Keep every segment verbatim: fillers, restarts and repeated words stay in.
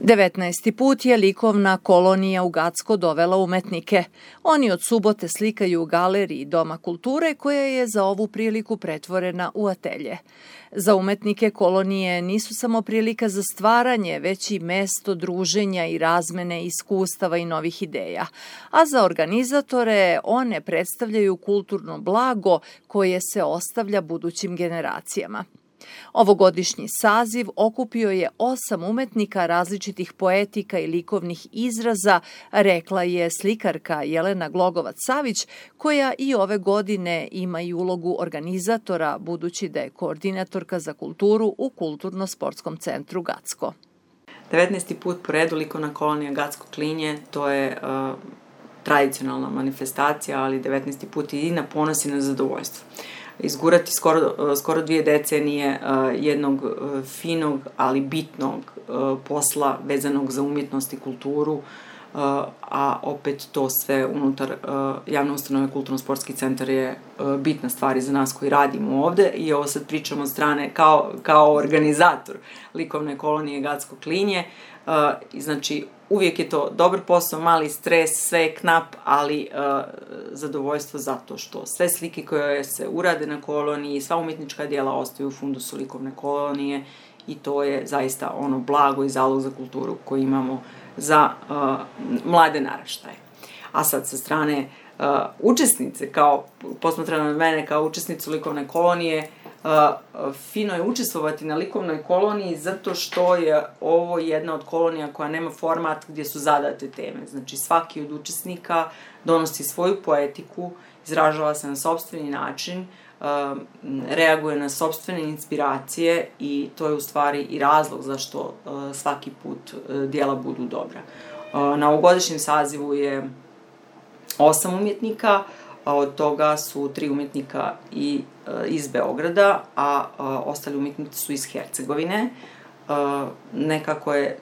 devetnaesti put je likovna kolonija u Gacko dovela umetnike. Oni od subote slikaju u galeriji Doma kulture koja je za ovu priliku pretvorena u atelje. Za umetnike kolonije nisu samo prilika za stvaranje, već i mesto druženja i razmene iskustava i novih ideja. A za organizatore one predstavljaju kulturno blago koje se ostavlja budućim generacijama. Ovogodišnji saziv okupio je osam umetnika različitih poetika i likovnih izraza, rekla je slikarka Jelena Glogovac-Savić, koja i ove godine ima i ulogu organizatora, budući da je koordinatorka za kulturu u Kulturno-sportskom centru Gacko. devetnaesti put po redu likovna kolonija Gacko Klinje, to je uh, tradicionalna manifestacija, ali devetnaesti put i na ponos i na zadovoljstvo. Izgurati skoro, skoro dvije decenije uh, jednog uh, finog, ali bitnog uh, posla vezanog za umjetnost i kulturu, uh, a opet to sve unutar uh, javne ustanove Kulturno-sportski centar je uh, bitna stvar i za nas koji radimo ovde i ovo sad pričamo od strane kao, kao organizator likovne kolonije Gacko Klinje. Uh, znači, uvijek je to dobar posao, mali stres, sve je knap, ali uh, zadovoljstvo zato što sve slike koje se urade na koloniji, sva umjetnička djela ostaju u fundusu likovne kolonije i to je zaista ono blago i zalog za kulturu koji imamo za uh, mlade naraštaje. A sad sa strane uh, učesnice, kao posmatrano od mene kao učesnicu likovne kolonije, Uh, fino je učestvovati na likovnoj koloniji zato što je ovo jedna od kolonija koja nema format gdje su zadate teme. Znači svaki od učesnika donosi svoju poetiku, izražava se na sopstveni način, uh, reaguje na sopstvene inspiracije i to je u stvari i razlog zašto uh, svaki put uh, djela budu dobra. Uh, na ovogodišnjem sazivu je osam umjetnika, a od toga su tri umjetnika i e, iz Beograda, a e, ostali umjetnici su iz Hercegovine. E, nekako je,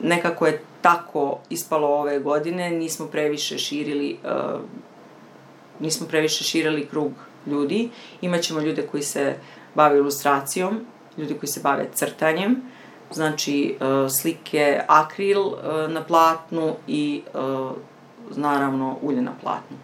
nekako je tako ispalo ove godine, nismo previše širili, e, nismo previše širili krug ljudi. Imaćemo ljude koji se bave ilustracijom, ljudi koji se bave crtanjem, znači e, slike akril e, na platnu i e, naravno ulje na platnu.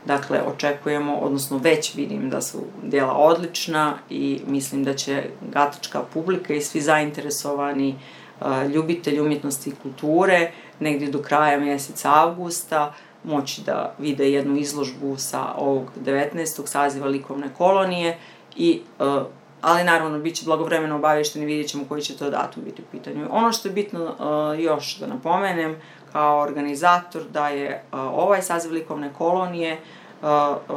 Dakle, očekujemo, odnosno već vidim da su djela odlična i mislim da će gatačka publika i svi zainteresovani uh, ljubitelji umjetnosti i kulture negdje do kraja mjeseca avgusta moći da vide jednu izložbu sa ovog devetnaestog saziva likovne kolonije, i, uh, ali naravno bit će blagovremeno obavješteni, vidjet ćemo koji će to datum biti u pitanju. Ono što je bitno uh, još da napomenem, kao organizator, da je uh, ovaj saziv likovne kolonije uh,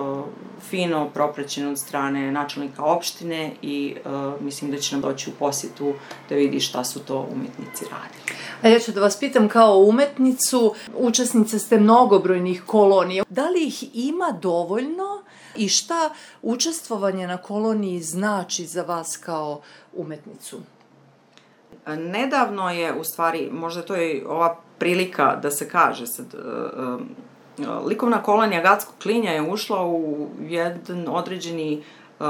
uh, fino propraćen od strane načelnika opštine i uh, mislim da će nam doći u posjetu da vidi šta su to umjetnici radili. A ja ću da vas pitam kao umetnicu, učesnice ste mnogobrojnih kolonija. Da li ih ima dovoljno i šta učestvovanje na koloniji znači za vas kao umetnicu? Nedavno je, u stvari, možda to je ova prilika da se kaže sad, uh, uh, likovna kolonija Gacko Klinja je ušla u jedan određeni uh,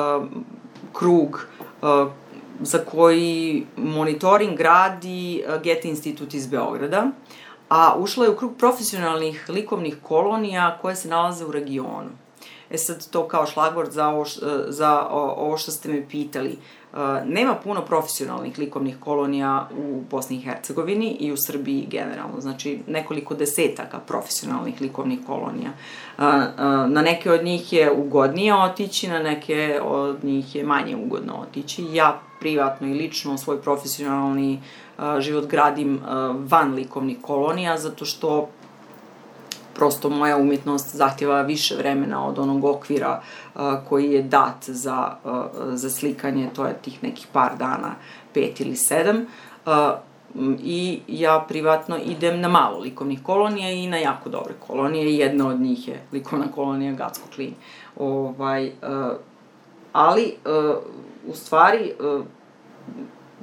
krug uh, za koji monitoring radi uh, Goethe institut iz Beograda, a ušla je u krug profesionalnih likovnih kolonija koje se nalaze u regionu. E sad, to kao šlagvort za ovo, za ovo što ste me pitali. Nema puno profesionalnih likovnih kolonija u Bosni i Hercegovini i u Srbiji generalno, znači nekoliko desetaka profesionalnih likovnih kolonija. Na neke od njih je ugodnije otići, na neke od njih je manje ugodno otići. Ja privatno i lično svoj profesionalni život gradim van likovnih kolonija, zato što prosto moja umjetnost zahtjeva više vremena od onog okvira uh, koji je dat za, uh, za slikanje, to je tih nekih par dana, pet ili sedam. Uh, I ja privatno idem na malo likovnih kolonija i na jako dobre kolonije. Jedna od njih je likovna kolonija Gacko Klinje. Ovaj, uh, ali, uh, u stvari, uh,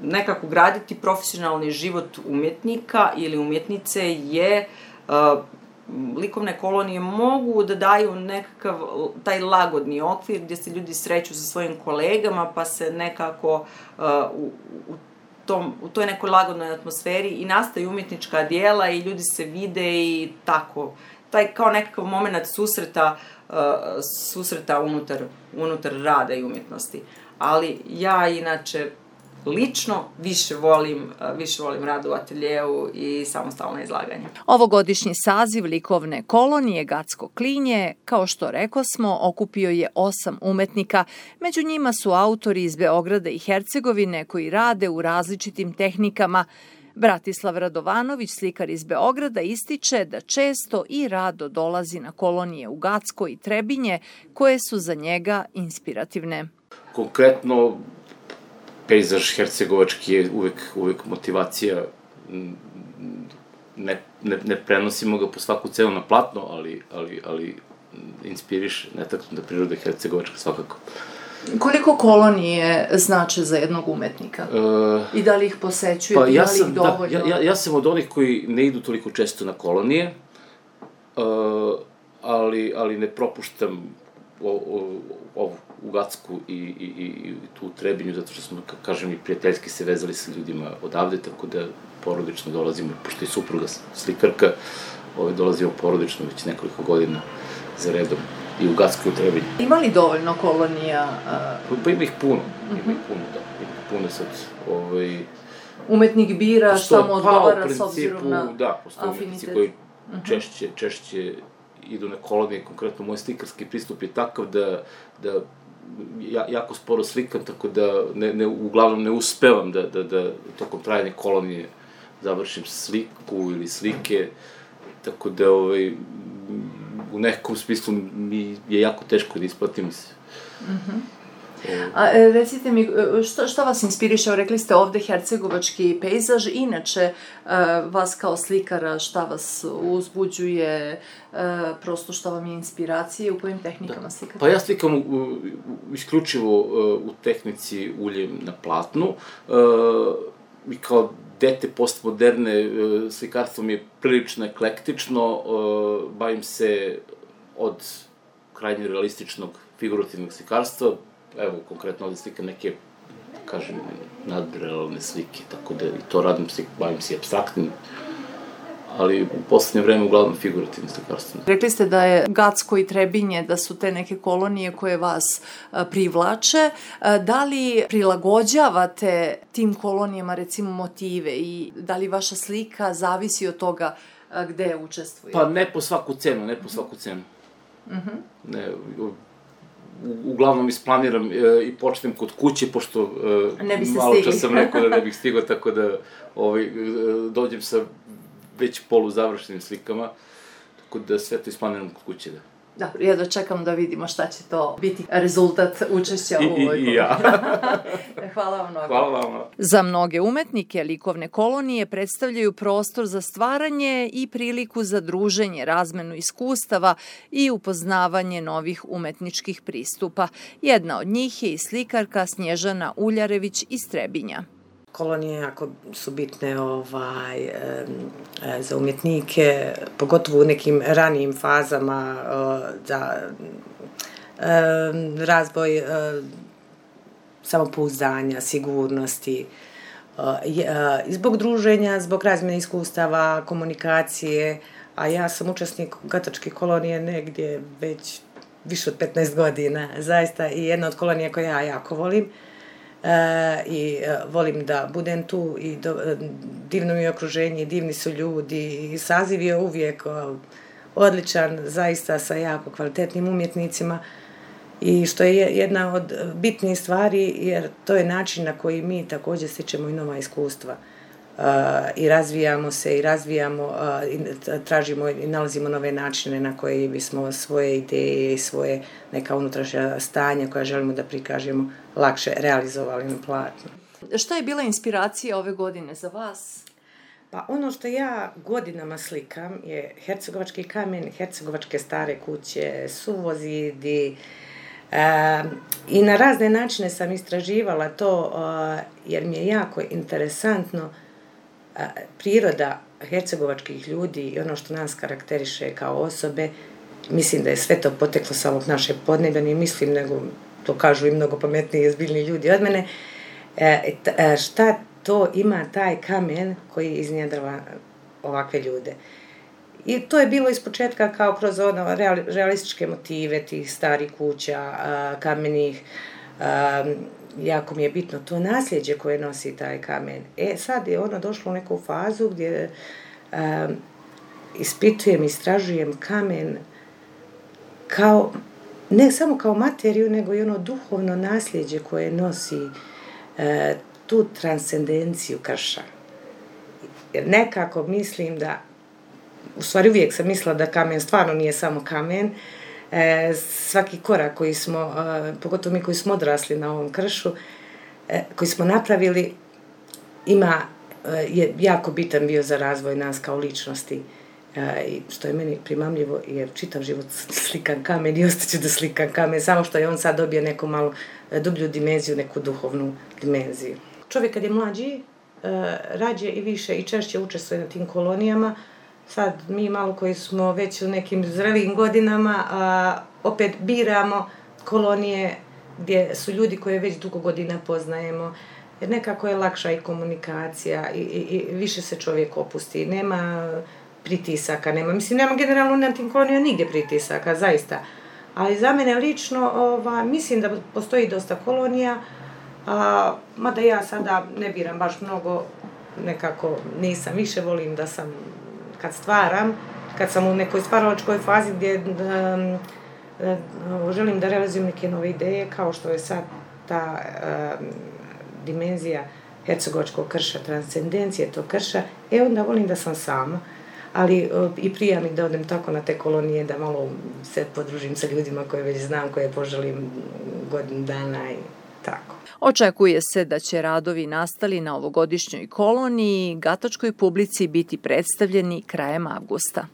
nekako graditi profesionalni život umjetnika ili umjetnice je uh, likovne kolonije mogu da daju nekakav taj lagodni okvir gdje se ljudi sreću sa svojim kolegama pa se nekako uh, u, u tom, u toj nekoj lagodnoj atmosferi i nastaju umjetnička dijela i ljudi se vide i tako. Taj kao nekakav moment susreta, uh, susreta unutar, unutar rada i umjetnosti. Ali ja inače lično više volim, više volim rad u ateljeu i samostalno izlaganje. Ovogodišnji saziv likovne kolonije Gacko klinje, kao što rekosmo, okupio je osam umetnika. Među njima su autori iz Beograda i Hercegovine koji rade u različitim tehnikama. Bratislav Radovanović, slikar iz Beograda, ističe da često i rado dolazi na kolonije u Gacko i Trebinje, koje su za njega inspirativne. Konkretno, pejzaž hercegovački je uvek, uvek motivacija, ne, ne, ne prenosimo ga po svaku cenu na platno, ali, ali, ali inspiriše netaknuta priroda hercegovačka svakako. Koliko kolonije znače za jednog umetnika? E, I da li ih posećujete, pa ja da li sam, ih dovoljno? Da, ja, ja sam od onih koji ne idu toliko često na kolonije, e, ali, ali ne propuštam o, o, ovu u Gacku i, i, i tu u Trebinju, zato što smo, kažem, i prijateljski se vezali sa ljudima odavde, tako da porodično dolazimo, pošto je supruga slikarka, ovaj, dolazimo porodično već nekoliko godina za redom i u Gacku i u Trebinju. Ima li dovoljno kolonija? Uh... Pa ima ih puno, ima ih puno, da, ima ih puno sad, ovaj... Umetnik bira šta mu odgovara pa, s obzirom na da, postoje umetnici koji češće, češće idu na kolonije, konkretno moj slikarski pristup je takav da, da ja, jako sporo slikam, tako da ne, ne, uglavnom ne uspevam da, da, da tokom trajanja kolonije završim sliku ili slike, tako da ovaj, u nekom smislu mi je jako teško da isplatim se. Mm-hmm. A recite mi, šta, šta vas inspiriše? Rekli ste ovde hercegovački pejzaž, inače vas kao slikara, šta vas uzbuđuje, prosto šta vam je inspiracije, u kojim tehnikama da. slikate? Pa ja slikam u, u, isključivo u tehnici uljem na platnu i kao dete postmoderne slikarstvo mi je prilično eklektično, bavim se od krajnje realističnog figurativnog slikarstva. Evo, konkretno ovdje slikam neke, kažem, nadrealne slike, tako da i to radim, bavim se apstraktnim, ali u poslednje vreme uglavnom figurativnim slikarstvom. Rekli ste da je Gacko i Trebinje, da su te neke kolonije koje vas privlače. Da li prilagođavate tim kolonijama, recimo, motive i da li vaša slika zavisi od toga gde učestvuje? Pa ne po svaku cenu, ne po svaku cenu. Mm-hmm. Ne, uglavnom isplaniram e, i počnem kod kuće, pošto e, malo čas sam rekao da ne bih stigao, tako da ovaj, e, dođem sa već poluzavršenim slikama, tako da sve to isplaniram kod kuće, da. Dobro, ja da čekam da vidimo šta će to biti rezultat učešća u ovoj koloniji. I, i ja. Hvala vam mnogo. Hvala vam. Za mnoge umetnike likovne kolonije predstavljaju prostor za stvaranje i priliku za druženje, razmenu iskustava i upoznavanje novih umetničkih pristupa. Jedna od njih je i slikarka Snježana Uljarević iz Trebinja. Kolonije jako su bitne ovaj, e, za umjetnike, pogotovo u nekim ranijim fazama e, za e, razvoj e, samopouzdanja, sigurnosti. E, e, zbog druženja, zbog razmjene iskustava, komunikacije, a ja sam učesnik Gatačke kolonije negdje već više od petnaest godina, zaista, i jedna od kolonija koje ja jako volim. E, i e, volim da budem tu i do, e, divno mi je okruženje, divni su ljudi i saziv je uvijek o, odličan, zaista sa jako kvalitetnim umjetnicima i što je jedna od bitnih stvari jer to je način na koji mi također stičemo i nova iskustva e, i razvijamo se i razvijamo e, i tražimo i nalazimo nove načine na koje bismo svoje ideje i svoje neka unutrašnja stanja koja želimo da prikažemo lakše realizovali na platnu. Šta je bila inspiracija ove godine za vas? Pa ono što ja godinama slikam je hercegovački kamen, hercegovačke stare kuće, suvozidi e, i na razne načine sam istraživala to e, jer mi je jako interesantno e, priroda hercegovačkih ljudi i ono što nas karakteriše kao osobe. Mislim da je sve to poteklo sa ovog naše podneblja, ne mislim, nego to kažu i mnogo pametniji i ozbiljni ljudi od mene. E, t, šta to ima taj kamen koji iznjedrva ovakve ljude. I to je bilo ispočetka kao kroz ono realističke motive tih starih kuća, kamenih. Jako mi je bitno to nasljeđe koje nosi taj kamen. E, sad je ono došlo u neku fazu gdje ispitujem, istražujem kamen kao, ne samo kao materiju, nego i ono duhovno nasljeđe koje nosi tu transcendenciju krša. Jer nekako mislim da, u stvari uvijek sam mislila da kamen stvarno nije samo kamen, e, svaki korak koji smo, e, pogotovo mi koji smo odrasli na ovom kršu, e, koji smo napravili, ima, e, je jako bitan bio za razvoj nas kao ličnosti. E, što je meni primamljivo, jer čitav život slikam kamen i ostaću da slikam kamen, samo što je on sad dobio neku malo dublju dimenziju, neku duhovnu dimenziju. Čovjek kad je mlađi, rađe i više i češće učestvuje na tim kolonijama. Sad mi malo koji smo već u nekim zrelijim godinama, a, opet biramo kolonije gdje su ljudi koje već dugo godina poznajemo, jer nekako je lakša i komunikacija i, i, i više se čovjek opusti, nema pritisaka, nema, mislim, nema generalno na tim kolonijama nigdje pritisaka, zaista. Ali za mene lično, ova, mislim da postoji dosta kolonija, a, mada ja sada ne biram baš mnogo, nekako nisam, više volim da sam, kad stvaram, kad sam u nekoj stvaralačkoj fazi gdje um, um, želim da realizujem neke nove ideje, kao što je sad ta um, dimenzija hercegovačkog krša, transcendencije tog krša, e onda volim da sam sama. Ali uh, i prija mi da odem tako na te kolonije, da malo se podružim sa ljudima koje već znam, koje poželim godinu dana i tako. Očekuje se da će radovi nastali na ovogodišnjoj koloniji gatačkoj publici biti predstavljeni krajem avgusta.